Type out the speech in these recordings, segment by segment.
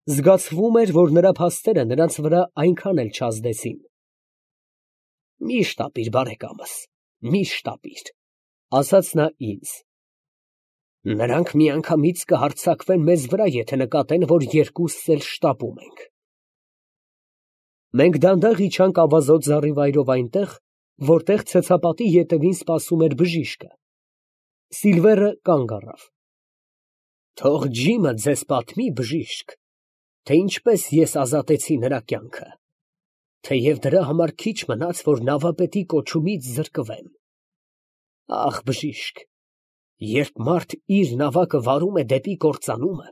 Զգացվում էր, որ նրա փաստերը նրանց վրա այնքան էլ չազդեցին։ Մի շտապիր, բարեկամս, մի շտապիր, ասաց նա ինձ։ Նրանք միանգամից կհարձակվեն մեզ վրա, եթե նկատեն, որ երկուսս էլ շտապում ենք։ Մենք դանդաղ իջանք ավազոտ զառիվայրով այնտեղ, որտեղ ցցապատի ետևին սպասում էր բժիշկը։ Սիլվերը կանգ առավ։ Թող Ջիմը ձեզ պատմի, բժիշկ, թե ինչպես ես ազատեցի նրա կյանքը, թեև դրա համար քիչ մնաց, որ նավապետի կոչումից զրկվեմ։ Ախ, բժիշկ, երբ մարդ իր նավակը վարում է դեպի կործանումը,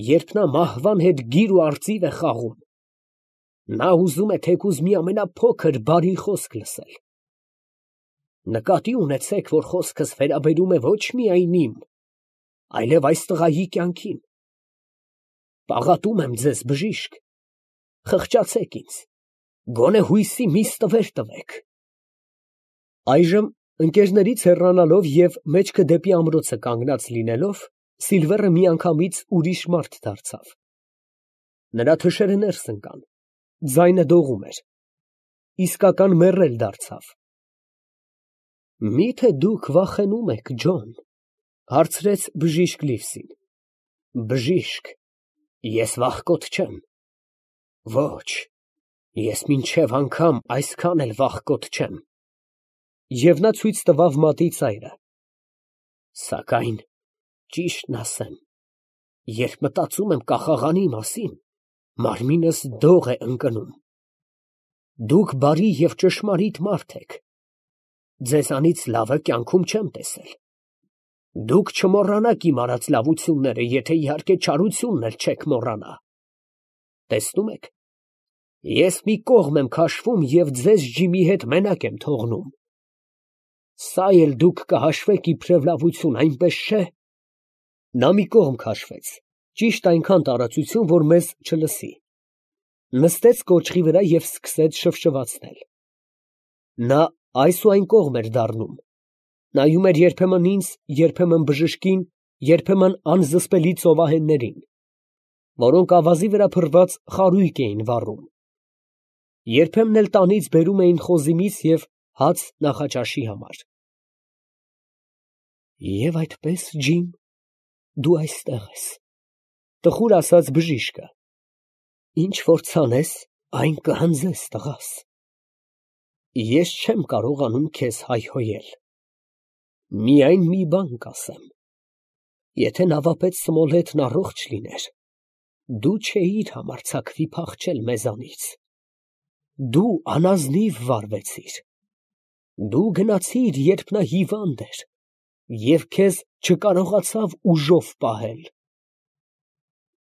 երբ նա մահվան հետ գիր ու արծիվ է խաղում, նա ուզում է թեկուզ մի ամենափոքր բարի խոսք լսել։ Նկատի ունեցեք, որ խոսքս վերաբերում է ոչ միայն իմ, այլև այս տղայի կյանքին։ Պաղատում եմ ձեզ, բժիշկ, խղճացեք ինձ, գոնե հույսի մի ստվեր տվեք։ Այժմ ընկերներից հեռանալով և մեջքը դեպի ամրոցը կանգնած լինելով, Սիլվերը միանգամից ուրիշ մարդ դարձավ։ Նրա թշերը ներս ընկան, ձայնը դողում էր, իսկական մեռել դարձավ։ Մի՞թե դուք վախենում եք, Ջոն, հարցրեց բժիշկ Լիվսին։ Բժիշկ, ես վախկոտ չեմ։ Ոչ, ես մինչև անգամ այսքան էլ վախկոտ չեմ։ Եվ նա ցույց տվավ մատի ծայրը։ Սակայն, ճիշտն ասեմ, երբ մտածում եմ կախաղանի մասին, մարմինս դող է ընկնում։ Դուք բարի և ճշմարիտ մարդ եք։ Ձեզանից լավը կյանքում չեմ տեսել։ Դուք չմոռանաք իմ արած լավությունները, եթե իհարկե չարությունն էլ չեք մոռանա։ Տեսնում եք, ես մի կողմ եմ քաշվում և ձեզ Ջիմի հետ մենակ եմ թողնում։ Սա էլ դուք կհաշվեք իբրև լավություն, այնպես չէ։ Նա մի կողմ քաշվեց, ճիշտ այնքան տարածություն, որ մեզ չլսի, նստեց կոճղի վրա և սկսեց շվշվացնել։ Նա այս ու այն կողմ էր դառնում, նայում էր երբեմն ինձ, երբեմն բժշկին, երբեմն անզսպելի ծովահեններին, որոնք ավազի վրա փռված խարույկ էին վառում, երբեմն էլ տանից բերում էին խոզի միս և հաց նախաճաշի համար։ Եվ այդպես, Ջիմ, դու այստեղ ես, տխուր ասաց բժիշկը, ինչ որ ցանես, այն կհանձես, տղաս։ Ես չեմ կարողանում քեզ հայհոյել։ Միայն մի բան կասեմ. եթե նավապետ Սմոլեթն առողջ լիներ, դու չէիր համարձակվի փախչել մեզանից։ Դու անազնիվ վարվեցիր։ Դու գնացիր, երբ նա հիվանդ էր, և քեզ չկարողացավ ուժով պահել։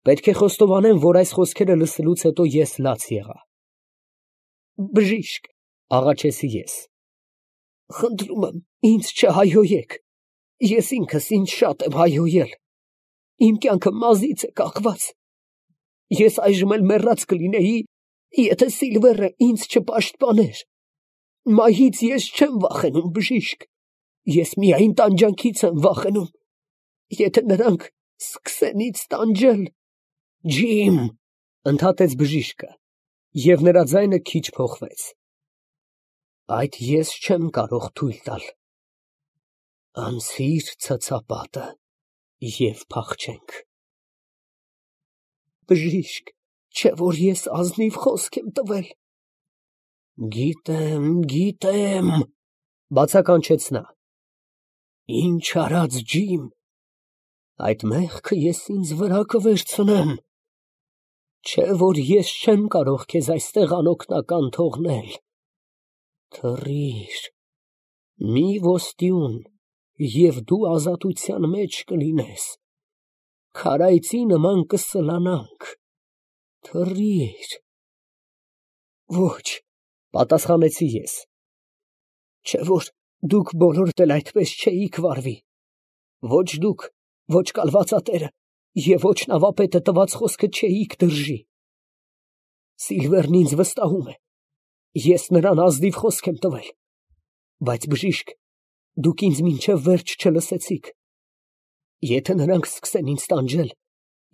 Պետք է խոստովանեմ, որ այս խոսքերը լսելուց հետո ես լաց եղա։ Բժիշկ, աղաչեցի ես, խնդրում եմ, ինձ չհայհոյեք, ես ինքս ինձ շատ եմ հայհոյել, իմ կյանքը մազից է կախված, ես այժմ էլ մեռած կլինեի, եթե Սիլվերը ինձ չպաշտպաներ, մահից ես չեմ վախենում, բժիշկ, ես միայն տանջանքից եմ վախենում, եթե նրանք սկսեն ինձ տանջել։ Ջիմ, ընդհատեց բժիշկը, և նրա ձայնը քիչ փոխվեց, այդ ես չեմ կարող թույլ տալ։ Անցիր ցցապատը և փախչենք։ Բժիշկ, չէ որ ես ազնիվ խոսք եմ տվել։ Գիտեմ, բացականչեց նա։ Ինչ արած, Ջիմ, այդ մեղքը ես ինձ վրա կվերցնեմ։ Չէ որ ես չեմ կարող քեզ այստեղ անօգնական թողնել։ Թռիր, մի ոստիուն, և դու ազատության մեջ կլինես, քարայծի նման կսլանանք, թռիր։ Ոչ, պատասխանեցի ես, չէ որ դուք բոլորդ էլ այդպես չէիք վարվի, ոչ դուք, ոչ կալվածատերը և ոչ նավապետը տված խոսքը չէիք դրժի։ Սիլվերն ինձ վստահում է, ես նրան ազնիվ խոսք եմ տվել, բայց բժիշկ, դուք ինձ մինչև վերջ չլսեցիք։ Եթե նրանք սկսեն ինձ տանջել,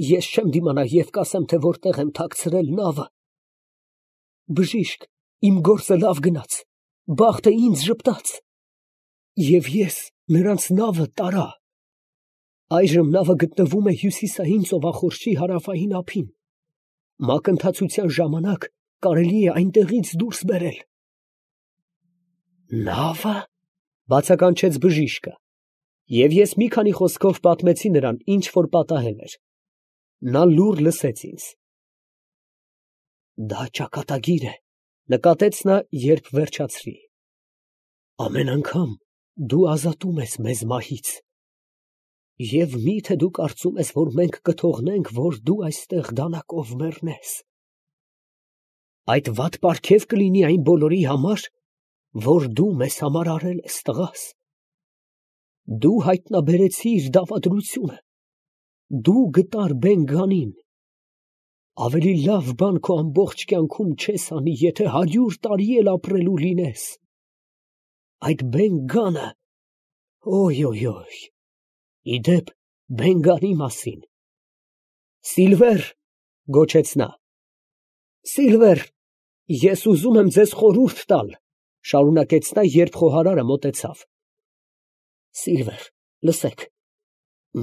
Ես չեմ դիմանա և կասեմ, թե որտեղ եմ թաքցրել նավը։ Բժիշկ, իմ գործը լավ գնաց, բախտը ինձ ժպտաց, և ես նրանց նավը տարա։ Այժմ նավը գտնվում է հյուսիսային ծովախորշի հարավային ափին։ Մակընթացության ժամանակ կարելի է այնտեղից դուրս բերել։ Նավը, բացականչեց բժիշկը, և ես մի քանի խոսքով պատմեցի նրան, ինչ որ պատահել էր։ Նա լուռ լսեց ինձ։ Դա ճակատագիր է, նկատեց նա, երբ վերջացրի։ Ամեն անգամ դու ազատում ես մեզ մահից։ Եվ մի՞թե դու կարծում ես, որ մենք կթողնենք, որ դու այստեղ դանակով մեռնես։ Այդ վատ պարգև կլինի այն բոլորի համար, որ դու մեզ համար արել ես, տղաս։ Դու հայտնաբերեցիր դավադրությունը, դու գտար Բեն֊Գանին։ Ավելի լավ բան քո ամբողջ կյանքում չես անի, եթե 100 տարի էլ ապրելու լինես։ Այդ Բեն֊Գանը, իդեպ Բեն֊Գանի մասին։ Սիլվեր, գոչեց նա։ Սիլվեր, ես ուզում եմ ձեզ խորհուրդ տալ, շարունակեց նա, երբ խոհարարը մոտեցավ։ Սիլվեր, լսեք,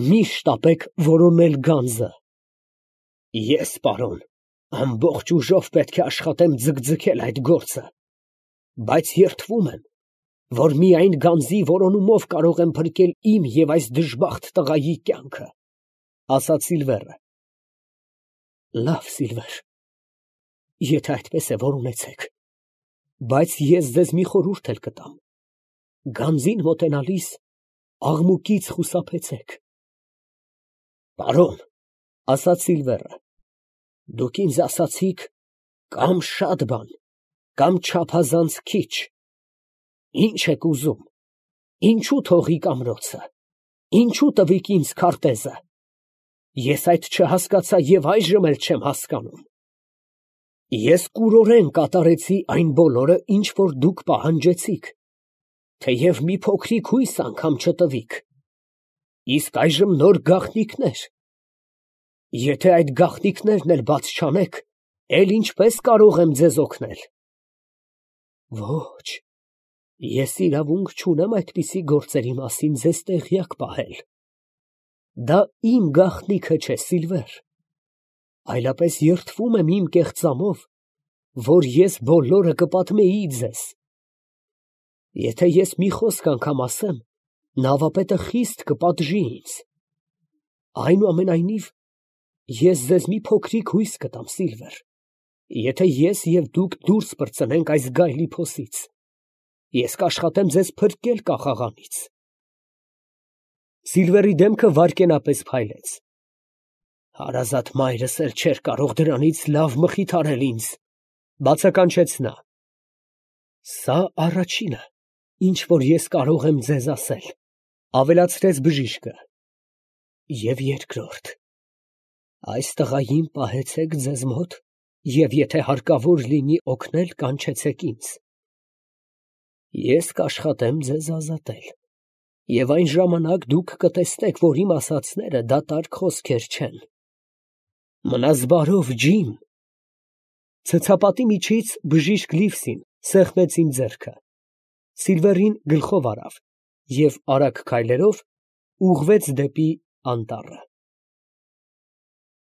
մի շտապեք որոնել գանձը։ Ես, պարոն, ամբողջ ուժով պետք է աշխատեմ ձգձգել այդ գործը, բայց երդվում եմ, որ միայն գանձի որոնումով կարող եմ փրկել իմ և այս դժբախտ տղայի կյանքը, ասաց Սիլվերը։ Լավ, Սիլվեր, եթե այդպես է, որոնեցեք, բայց ես ձեզ մի խորհուրդ էլ կտամ. գանձին մոտենալիս աղմուկից խուսափեցեք։ Պարոն, ասաց Սիլվերը, դուք ինձ ասացիք կամ շատ բան, կամ չափազանց քիչ։ Ինչ եք ուզում, ինչու թողիք ամրոցը, ինչու տվիք ինձ քարտեզը։ Ես այդ չհասկացա և այժմ էլ չեմ հասկանում։ Ես կուրորեն կատարեցի այն բոլորը, ինչ որ դուք պահանջեցիք, թեև մի փոքրիկ հույս անգամ չտվիք։ Իսկ այժմ նոր գաղտնիքներ։ Եթե այդ գաղտնիքներն էլ բաց չանեք, էլ ինչպես կարող եմ ձեզ օգնել։ Ոչ, ես իրավունք չունեմ այդպիսի գործերի մասին ձեզ տեղյակ պահել։ Դա իմ գաղտնիքը չէ, Սիլվեր, այլապես երդվում եմ իմ կեղծամով, որ ես բոլորը կպատմեի ձեզ։ Եթե ես մի խոսք անգամ ասեմ, նավապետը խիստ կպատժի ինձ։ Այնուամենայնիվ, ես ձեզ մի փոքրիկ հույս կտամ, Սիլվեր, եթե ես և դուք դուրս պրծնենք այս գայլի փոսից, ես կաշխատեմ ձեզ փրկել կախաղանից։ Սիլվերի դեմքը վայրկենապես փայլեց։ Հարազատ մայրս էլ չէր կարող դրանից լավ մխիթարել ինձ, բացականչեց նա։ Սա առաջինը, ինչ որ ես կարող եմ ձեզ ասել, ավելացրեց բժիշկը։ Եվ երկրորդ, այս տղային պահեցեք ձեզ մոտ, և եթե հարկավոր լինի օգնել, կանչեցեք ինձ։ Ես կաշխատեմ ձեզ ազատել, և այն ժամանակ դուք կտեսնեք, որ իմ ասածները դատարկ խոսքեր չեն։ Մնաս բարով, ջիմ։ Ցցապատի միջից բժիշկ Լիվսին սեղմեց իմ ձեռքը, Սիլվերին գլխով արավ և արագ քայլերով ուղղվեց դեպի անտառը։